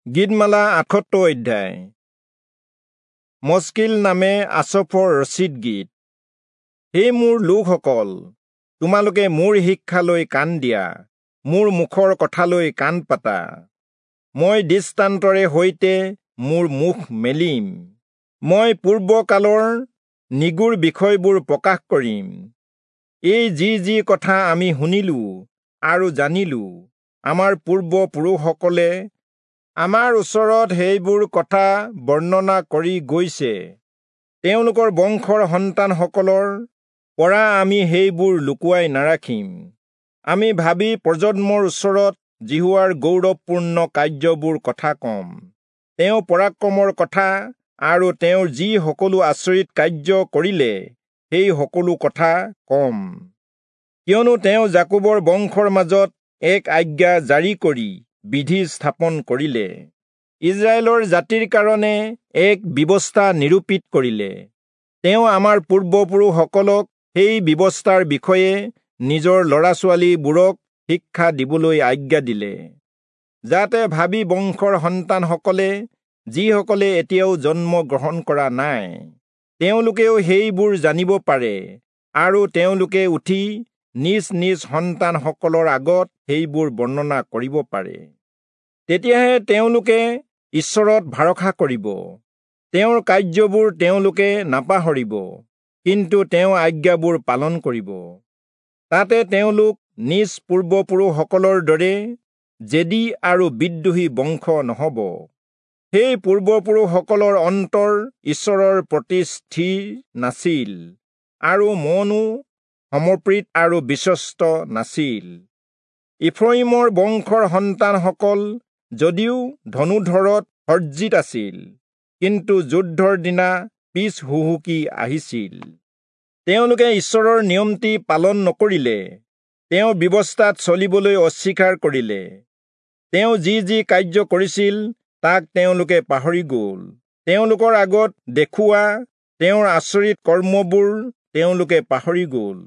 গীতমালা 78 অধ্যায়। মস্কিল নামে আচফৰ ৰচিত গীত। হে মোৰ লোকসকল, তোমালোকে মোৰ শিক্ষালৈ কাণ দিয়া, মোৰ মুখৰ কথালৈ কাণ পাতা। মই দৃষ্টান্তৰে সৈতে মোৰ মুখ মেলিম, মই পূৰ্বকালৰ নিগূঢ় বিষয়বোৰ প্ৰকাশ কৰিম। এই যি যি কথা আমি শুনিলো আৰু জানিলো, আমাৰ পূৰ্বপুৰুষসকলে আমাৰ ওচৰত সেইবোৰ কথা বৰ্ণনা কৰি গৈছে। তেওঁলোকৰ বংশৰ সন্তানসকলৰ পৰা আমি সেইবোৰ লুকুৱাই নাৰাখিম। আমি ভাবি প্ৰজন্মৰ ওচৰত যিহোৱাৰ গৌৰৱপূৰ্ণ কাৰ্যবোৰ কথা কম, তেওঁ পৰাক্ৰমৰ কথা আৰু তেওঁৰ যি সকলো আচৰিত কাৰ্য কৰিলে সেই সকলো কথা কম। কিয়নো তেওঁ যাকোবৰ বংশৰ মাজত এক আজ্ঞা জাৰি কৰি বিধি স্থাপন কৰিলে, ইজৰাইলৰ জাতিৰ কাৰণে এক ব্যৱস্থা নিৰূপিত কৰিলে। তেওঁ আমাৰ পূৰ্বপুৰুষসকলক সেই ব্যৱস্থাৰ বিষয়ে নিজৰ ল'ৰা ছোৱালীবোৰক শিক্ষা দিবলৈ আজ্ঞা দিলে, যাতে ভাবি বংশৰ সন্তানসকলে, যিসকলে এতিয়াও জন্ম গ্ৰহণ কৰা নাই, তেওঁলোকেও সেইবোৰ জানিব পাৰে আৰু তেওঁলোকে উঠি নিজ নিজ সন্তানসকলৰ আগত সেইবোৰ বৰ্ণনা কৰিব পাৰে। তেতিয়াহে তেওঁলোকে ঈশ্বৰত ভৰসা কৰিব, তেওঁৰ কাৰ্যবোৰ তেওঁলোকে নাপাহৰিব, কিন্তু তেওঁ আজ্ঞাবোৰ পালন কৰিব। তাতে তেওঁলোক নিজ পূৰ্বপুৰুষসকলৰ দৰে জেদী আৰু বিদ্ৰোহী বংশ নহ'ব। সেই পূৰ্বপুৰুষসকলৰ অন্তৰ ঈশ্বৰৰ প্ৰতি স্থিৰ নাছিল আৰু মনো সমৰ্পিত আৰু বিশ্বস্ত নাছিল। ইফ্ৰয়িমৰ বংশৰ সন্তানসকল যদিও ধনুধৰত সজ্জিত আছিল, কিন্তু যুদ্ধৰ দিনা পিছ হুহুকি আহিছিল। তেওঁলোকে ঈশ্বৰৰ নিয়মটি পালন নকৰিলে, তেওঁৰ ব্যৱস্থাত চলিবলৈ অস্বীকাৰ কৰিলে। তেওঁ যি যি কাৰ্য কৰিছিল তাক তেওঁলোকে পাহৰি গ'ল। তেওঁলোকৰ আগত দেখুওৱা তেওঁৰ আচৰিত কৰ্মবোৰ তেওঁলোকে পাহৰি গ'ল।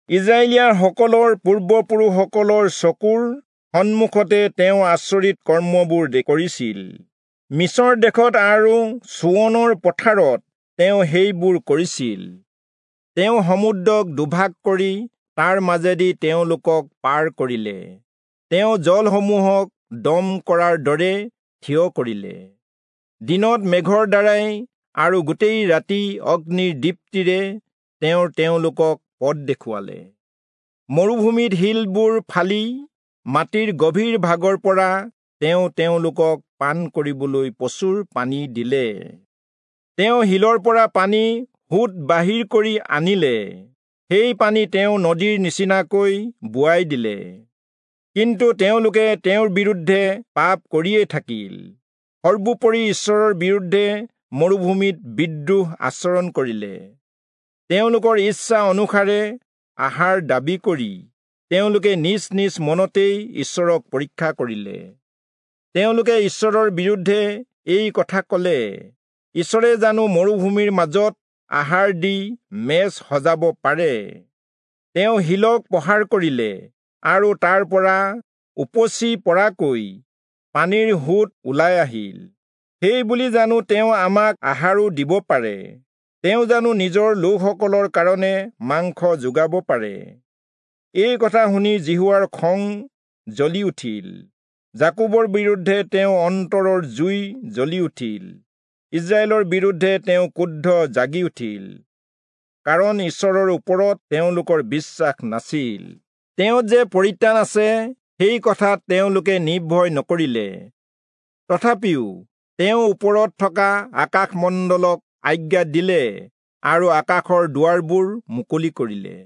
ইজৰাইলীয়াসকলৰ পূৰ্বপুৰুষসকলৰ চকুৰ সন্মুখতে তেওঁ আচৰিত কৰ্মবোৰ কৰিছিল। মিছৰ দেশত আৰু চোৱনৰ পথাৰত তেওঁ সেইবোৰ কৰিছিল। তেওঁ সমুদ্ৰক দুভাগ কৰি তাৰ মাজেদি তেওঁলোকক পাৰ কৰিলে। তেওঁ জলসমূহক দম কৰাৰ দৰে থিয় কৰিলে। দিনত মেঘৰ দ্বাৰাই আৰু গোটেই ৰাতি অগ্নিৰ দীপ্তিৰে তেওঁ তেওঁলোকক পথ দেখুৱালে। মৰুভূমিত শিলবোৰ ফালি মাটিৰ গভীৰ ভাগৰ পৰা তেওঁ তেওঁলোকক পান কৰিবলৈ প্ৰচুৰ পানী দিলে। তেওঁ শিলৰ পৰা পানী সোঁত বাহিৰ কৰি আনিলে, সেই পানী তেওঁ নদীৰ নিচিনাকৈ বোৱাই দিলে। কিন্তু তেওঁলোকে তেওঁৰ বিৰুদ্ধে পাপ কৰিয়েই থাকিল, সৰ্বোপৰি ঈশ্বৰৰ বিৰুদ্ধে মৰুভূমিত বিদ্ৰোহ আচৰণ কৰিলে। তেওঁলোকৰ ইচ্ছা অনুসাৰে আহাৰ দাবী কৰি তেওঁলোকে নিজ নিজ মনতেই ঈশ্বৰক পৰীক্ষা কৰিলে। তেওঁলোকে ঈশ্বৰৰ বিৰুদ্ধে এই কথা ক'লে, ঈশ্বৰে জানো মৰুভূমিৰ মাজত আহাৰ দি মেজ সজাব পাৰে? তেওঁ শিলক প্ৰহাৰ কৰিলে আৰু তাৰ পৰা উপচি পৰাকৈ পানীৰ সোঁত ওলাই আহিল। সেই বুলি জানো তেওঁ আমাক আহাৰো দিব পাৰে? তেওঁ জানো নিজৰ লোকসকলৰ কাৰণে মাংস যোগাব পাৰে? এই কথা শুনি যিহোৱাৰ খং জ্বলি উঠিল, যাকোবৰ বিৰুদ্ধে তেওঁ অন্তৰৰ জুই জ্বলি উঠিল, ইজৰাইলৰ বিৰুদ্ধে তেওঁ ক্ৰোধ জাগি উঠিল, কাৰণ ঈশ্বৰৰ ওপৰত তেওঁলোকৰ বিশ্বাস নাছিল। তেওঁ যে পৰিত্ৰাণ আছে সেই কথাত তেওঁলোকে নিৰ্ভয় নকৰিলে। তথাপিও তেওঁ ওপৰত থকা আকাশমণ্ডলক আজ্ঞা দিলে আৰু আকাশৰ দুৱাৰবোৰ মুকলি কৰিলে।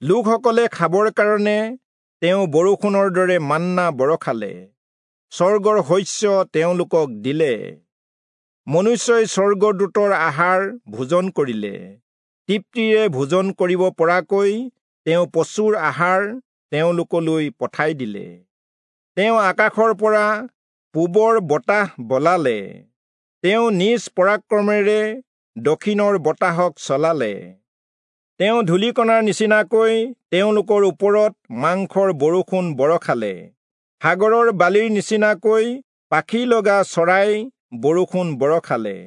লোকসকলে খাবৰ কাৰণে তেওঁ বৰষুণৰ দৰে মান্না বৰষালে, স্বৰ্গৰ শস্য তেওঁলোকক দিলে। মনুষ্যই স্বৰ্গদূতৰ আহাৰ ভোজন কৰিলে, তৃপ্তিৰে ভোজন কৰিব পৰাকৈ তেওঁ প্ৰচুৰ আহাৰ তেওঁলোকলৈ পঠাই দিলে। তেওঁ আকাশৰ পৰা পূবৰ বতাহ বলালে, তেওঁ নিজ পৰাক্ৰমেৰে দক্ষিণৰ বতাহক চলালে। তেওঁ ধূলিকণাৰ নিচিনাকৈ তেওঁলোকৰ ওপৰত মাংসৰ বৰষুণ বৰষালে, সাগৰৰ বালিৰ নিচিনাকৈ পাখি লগা চৰাই বৰষুণ বৰষালে।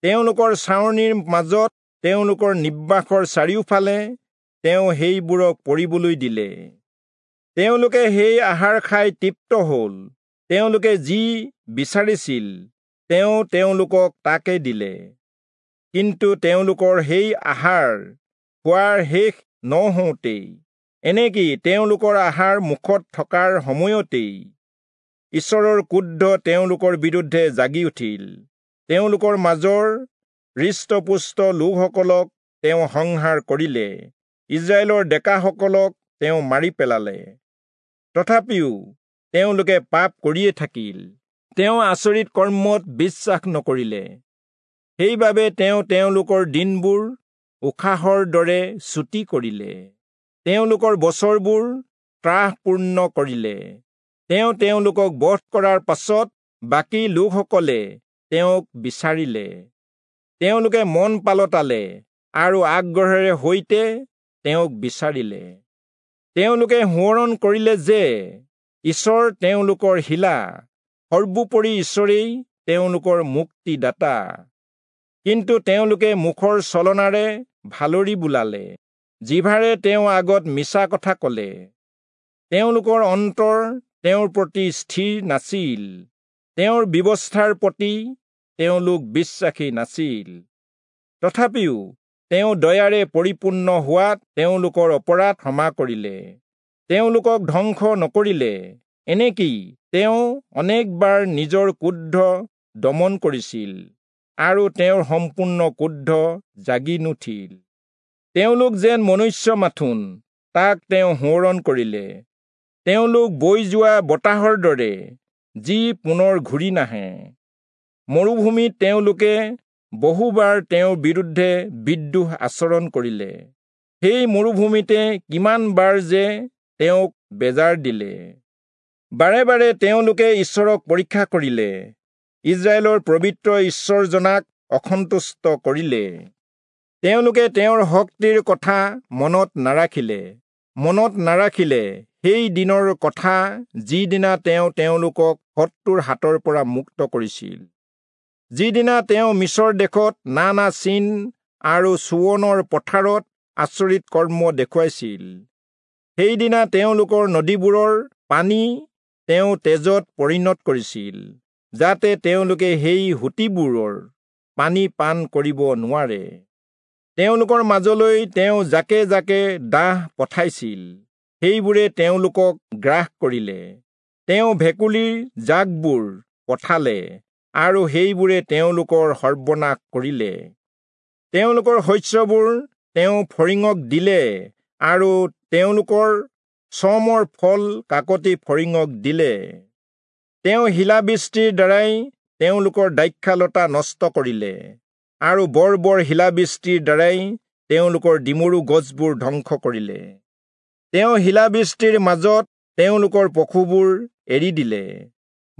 তেওঁলোকৰ ছাউনিৰ মাজত, তেওঁলোকৰ নিবাসৰ চাৰিওফালে তেওঁ সেইবোৰক পৰিবলৈ দিলে। তেওঁলোকে সেই আহাৰ খাই তৃপ্ত হ'ল। তেওঁলোকে যি বিচাৰিছিল তেওঁ তেওঁলোকক তাকে দিলে। কিন্তু তেওঁলোকৰ সেই আহাৰ খোৱাৰ শেষ নহওঁতেই, এনেকি তেওঁলোকৰ আহাৰ মুখত থকাৰ সময়তেই ঈশ্বৰৰ ক্ৰোধ তেওঁলোকৰ বিৰুদ্ধে জাগি উঠিল। তেওঁলোকৰ মাজৰ হৃষ্টপুষ্ট লোকসকলক তেওঁ সংহাৰ কৰিলে, ইজৰাইলৰ ডেকাসকলক তেওঁ মাৰি পেলালে। তথাপিও তেওঁলোকে পাপ কৰিয়ে থাকিল। তেওঁ আচৰিত কৰ্মত বিশ্বাস নকৰিলে। সেইবাবে তেওঁ তেওঁলোকৰ দিনবোৰ উশাহৰ দৰে চুটি কৰিলে, তেওঁলোকৰ বছৰবোৰ ত্ৰাসপূৰ্ণ কৰিলে। তেওঁ তেওঁলোকক বধ কৰাৰ পাছত বাকী লোকসকলে তেওঁক বিচাৰিলে। তেওঁলোকে মন পালটালে আৰু আগ্ৰহেৰে সৈতে তেওঁক বিচাৰিলে। তেওঁলোকে সোঁৱৰণ কৰিলে যে ঈশ্বৰ তেওঁলোকৰ শিলা, সৰ্বোপৰি ঈশ্বৰেই তেওঁলোকৰ মুক্তিদাতা। কিন্তু তেওঁলোকে মুখৰ চলনাৰে ভালৰি বোলালে, জিভাৰে তেওঁ আগত মিছা কথা কলে। তেওঁলোকৰ অন্তৰ তেওঁৰ প্ৰতি স্থিৰ নাছিল, তেওঁৰ ব্যৱস্থাৰ প্ৰতি তেওঁলোক বিশ্বাসী নাছিল। তথাপিও তেওঁ দয়াৰে পৰিপূৰ্ণ হোৱাত তেওঁলোকৰ অপৰাধ ক্ষমা কৰিলে, তেওঁলোকক ধ্বংস নকৰিলে। এনেকি তেওঁ অনেকবাৰ নিজৰ ক্ৰোধ দমন কৰিছিল আৰু তেওঁৰ সম্পূৰ্ণ ক্ৰোধ জাগি নুঠিল। তেওঁলোক যেন মনুষ্য মাথোন, তাক তেওঁ সোঁৱৰণ কৰিলে। তেওঁলোক বৈ যোৱা বতাহৰ দৰে, যি পুনৰ ঘূৰি নাহে। মৰুভূমিত তেওঁলোকে বহুবাৰ তেওঁৰ বিৰুদ্ধে বিদ্ৰোহ আচৰণ কৰিলে। সেই মৰুভূমিতে কিমান বাৰ যে তেওঁক বেজাৰ দিলে। বাৰে বাৰে তেওঁলোকে ঈশ্বৰক পৰীক্ষা কৰিলে, ইজৰাইলৰ পবিত্ৰ ঈশ্বৰজনাক অসন্তুষ্ট কৰিলে। তেওঁলোকে তেওঁৰ শক্তিৰ কথা মনত নাৰাখিলে সেই দিনৰ কথা, যিদিনা তেওঁ তেওঁলোকক শত্ৰুৰ হাতৰ পৰা মুক্ত কৰিছিল, যিদিনা তেওঁ মিছৰ দেশত নানা চিন আৰু চোৱনৰ পথাৰত আচৰিত কৰ্ম দেখুৱাইছিল। সেইদিনা তেওঁলোকৰ নদীবোৰৰ পানী তেওঁ তেজত পৰিণত কৰিছিল, যাতে তেওঁলোকে সেই সুঁতিবোৰৰ পানী পান কৰিব নোৱাৰে। তেওঁলোকৰ মাজলৈ তেওঁ জাকে জাকে দাহ পঠাইছিল, সেইবোৰে তেওঁলোকক গ্ৰাস কৰিলে। তেওঁ ভেকুলীৰ জাকবোৰ পঠালে আৰু সেইবোৰে তেওঁলোকৰ সৰ্বনাশ কৰিলে। তেওঁলোকৰ শস্যবোৰ তেওঁ ফৰিঙক দিলে আৰু তেওঁলোকৰ চমৰ ফল কাকতি ফৰিঙক দিলে। তেওঁ শিলাবৃষ্টিৰ দ্বাৰাই তেওঁলোকৰ দ্ৰাক্ষালতা নষ্ট কৰিলে আৰু বৰ বৰ শিলাবৃষ্টিৰ দ্বাৰাই তেওঁলোকৰ ডিমৰু গছবোৰ ধ্বংস কৰিলে। তেওঁ শিলাবৃষ্টিৰ মাজত তেওঁলোকৰ পশুবোৰ এৰি দিলে,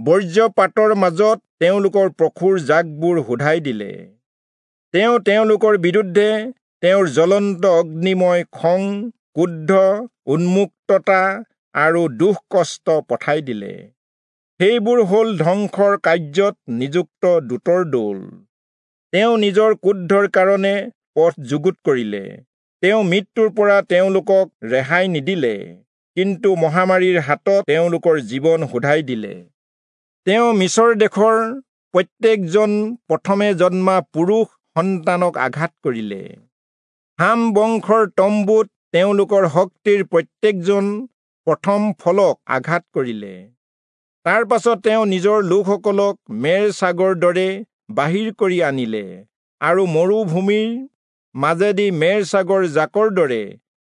বৰ্জ্যপাতৰ মাজত তেওঁলোকৰ পশুৰ জাকবোৰ সোধাই দিলে। তেওঁ তেওঁলোকৰ বিৰুদ্ধে তেওঁৰ জ্বলন্ত অগ্নিময় খং, ক্ৰোধ, উন্মুক্ততা আৰু দুখ কষ্ট পঠাই দিলে। সেইবোৰ হ'ল ধ্বংসৰ কাৰ্যত নিযুক্ত দূতৰ দল। তেওঁ নিজৰ ক্ৰোধৰ কাৰণে পথ যুগুত কৰিলে। তেওঁ মৃত্যুৰ পৰা তেওঁলোকক ৰেহাই নিদিলে, কিন্তু মহামাৰীৰ হাতত তেওঁলোকৰ জীৱন সোধাই দিলে। তেওঁ মিছৰ দেশৰ প্ৰত্যেকজন প্ৰথমে জন্মা পুৰুষ সন্তানক আঘাত কৰিলে। হাম বংশৰ তম্বুত তেওঁলোকৰ শক্তিৰ প্ৰত্যেকজন প্ৰথম ফলক আঘাত কৰিলে। তাৰ পাছত তেওঁ নিজৰ লোকসকলক মেৰ ছাগৰ দৰে বাহিৰ কৰি আনিলে আৰু মৰুভূমিৰ মাজেদি মেৰ ছাগৰ জাকৰ দৰে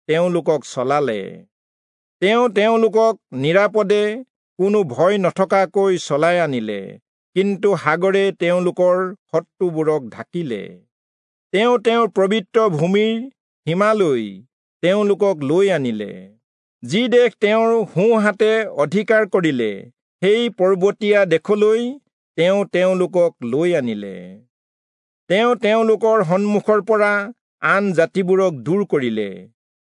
তেওঁলোকক চলালে। তেওঁ তেওঁলোকক নিৰাপদে কোনো ভয় নথকাকৈ চলাই আনিলে, কিন্তু সাগৰে তেওঁলোকৰ শত্ৰুবোৰক ঢাকিলে। তেওঁ তেওঁৰ পবিত্ৰ ভূমিৰ সীমালৈ তেওঁলোকক লৈ আনিলে। যি দেশ তেওঁৰ সোঁহাতে অধিকাৰ কৰিলে, সেই পৰ্বতীয়া দেশলৈ তেওঁ তেওঁলোকক লৈ আনিলে। তেওঁ তেওঁলোকৰ সন্মুখৰ পৰা আন জাতিবোৰক দূৰ কৰিলে।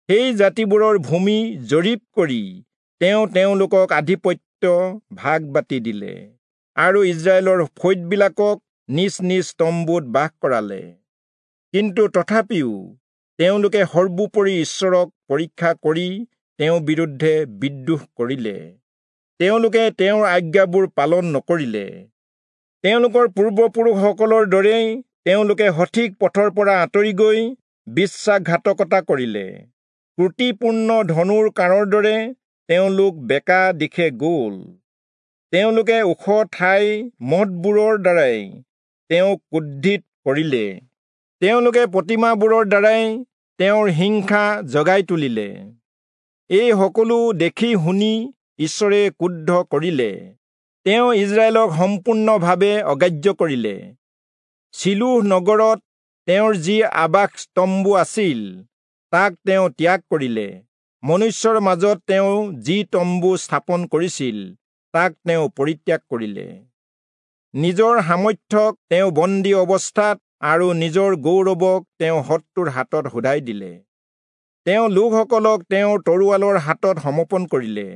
সেই জাতিবোৰৰ ভূমি জৰীপ কৰি তেওঁ তেওঁলোকক আধিপত্য ভাগ বাটি দিলে আৰু ইস্ৰায়েলৰ ফৈদবিলাকক নিজ নিজ তম্বুত বাস কৰালে। কিন্তু তথাপিও তেওঁলোকে সৰ্বোপৰি ঈশ্বৰক পৰীক্ষা কৰি তেওঁৰ বিৰুদ্ধে বিদ্ৰোহ কৰিলে। তেওঁলোকে তেওঁৰ আজ্ঞাবোৰ পালন নকৰিলে। তেওঁলোকৰ পূৰ্বপুৰুষসকলৰ দৰেই তেওঁলোকে সঠিক পথৰ পৰা আঁতৰি গৈ বিশ্বাসঘাতকতা কৰিলে। ক্ৰুটিপূৰ্ণ ধনুৰ কাঁড়ৰ দৰে তেওঁলোক বেকা দিশে গ'ল। তেওঁলোকে ওখ ঠাই মঠবোৰৰ দ্বাৰাই তেওঁক ক্ৰোধিত কৰিলে। তেওঁলোকে প্ৰতিমাবোৰৰ দ্বাৰাই তেওঁৰ হিংসা জগাই তুলিলে। এই সকলো দেখি শুনি ঈশ্বৰে ক্ৰুদ্ধ কৰিলে। তেওঁ ইস্ৰায়েলক সম্পূৰ্ণভাৱে অগ্ৰাহ্য কৰিলে। চিলোহ নগৰত তেওঁৰ যি আবাস তম্বু আছিল তাক তেওঁ ত্যাগ কৰিলে। মনুষ্যৰ মাজত তেওঁ যি তম্বু স্থাপন কৰিছিল তাক তেওঁ পৰিত্যাগ কৰিলে। নিজৰ সামৰ্থ্যক তেওঁ বন্দী অৱস্থাত আৰু নিজৰ গৌৰৱক তেওঁ শত্ৰুৰ হাতত শোধাই দিলে। তেওঁ লোকসকলক তেওঁৰ তৰোৱালৰ হাতত সমৰ্পণ কৰিলে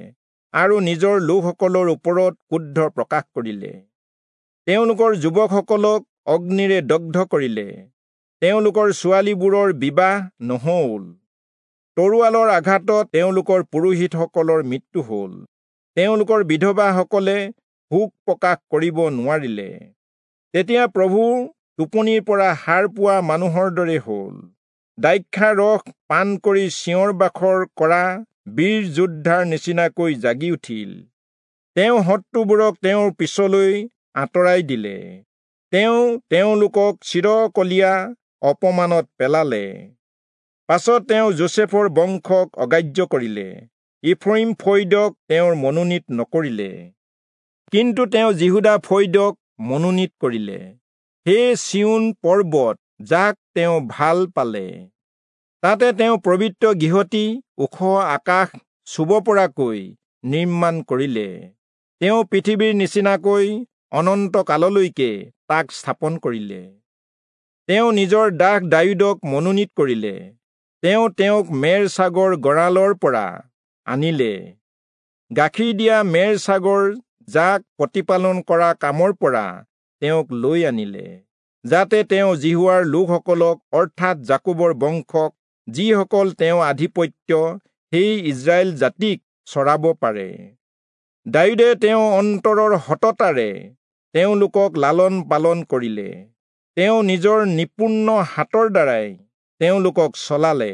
আৰু নিজৰ লোকসকলৰ ওপৰত ক্ৰোধ প্ৰকাশ কৰিলে। তেওঁলোকৰ যুৱকসকলক অগ্নিৰে দগ্ধ কৰিলে। তেওঁলোকৰ ছোৱালীবোৰৰ বিবাহ নহ'ল। তৰোৱালৰ আঘাতত তেওঁলোকৰ পুৰোহিতসকলৰ মৃত্যু হ'ল। তেওঁলোকৰ বিধৱাসকলে শোক প্ৰকাশ কৰিব নোৱাৰিলে। তেতিয়া প্ৰভু টোপনিৰ পৰা সাৰ পোৱা মানুহৰ দৰে হ'ল। দ্ৰাক্ষাৰস পান কৰি চিঞৰ বাখৰ কৰা বীৰ যোদ্ধাৰ নিচিনাকৈ জাগি উঠিল। তেওঁ শত্ৰুবোৰক তেওঁৰ পিছলৈ আঁতৰাই দিলে। তেওঁ তেওঁলোকক চিৰকলীয়া অপমানত পেলালে। পাছত তেওঁ যোচেফৰ বংশক অগ্ৰাহ্য কৰিলে। ইফ্ৰয়িম ফৈদক তেওঁৰ মনোনীত নকৰিলে, কিন্তু তেওঁ যিহূদা ফৈদক মনোনীত কৰিলে। হে চিয়োন পৰ্বত, যাক তেওঁ ভাল পালে, তাতে তেওঁ পবিত্ৰ গৃহটি ওখ আকাশ চুব পৰাকৈ নিৰ্মাণ কৰিলে। তেওঁ পৃথিৱীৰ নিচিনাকৈ অনন্ত কাললৈকে তাক স্থাপন কৰিলে। তেওঁ নিজৰ দাস দায়ূদক মনোনীত কৰিলে। তেওঁ তেওঁক মেৰ ছাগৰ গঁৰালৰ পৰা আনিলে। গাখীৰ দিয়া মেৰ ছাগৰ যাক প্ৰতিপালন কৰা কামৰ পৰা তেওঁক লৈ আনিলে, যাতে তেওঁ যিহোৱাৰ লোকসকলক অৰ্থাৎ যাকোবৰ বংশক, যিসকল তেওঁ আধিপত্য, সেই ইস্ৰায়েল জাতিক চৰাব পাৰে। দায়ূদে তেওঁ অন্তৰৰ সততাৰে তেওঁলোকক লালন পালন কৰিলে। তেওঁ নিজৰ নিপুণ হাতৰ দ্বাৰাই তেওঁলোকক চলালে।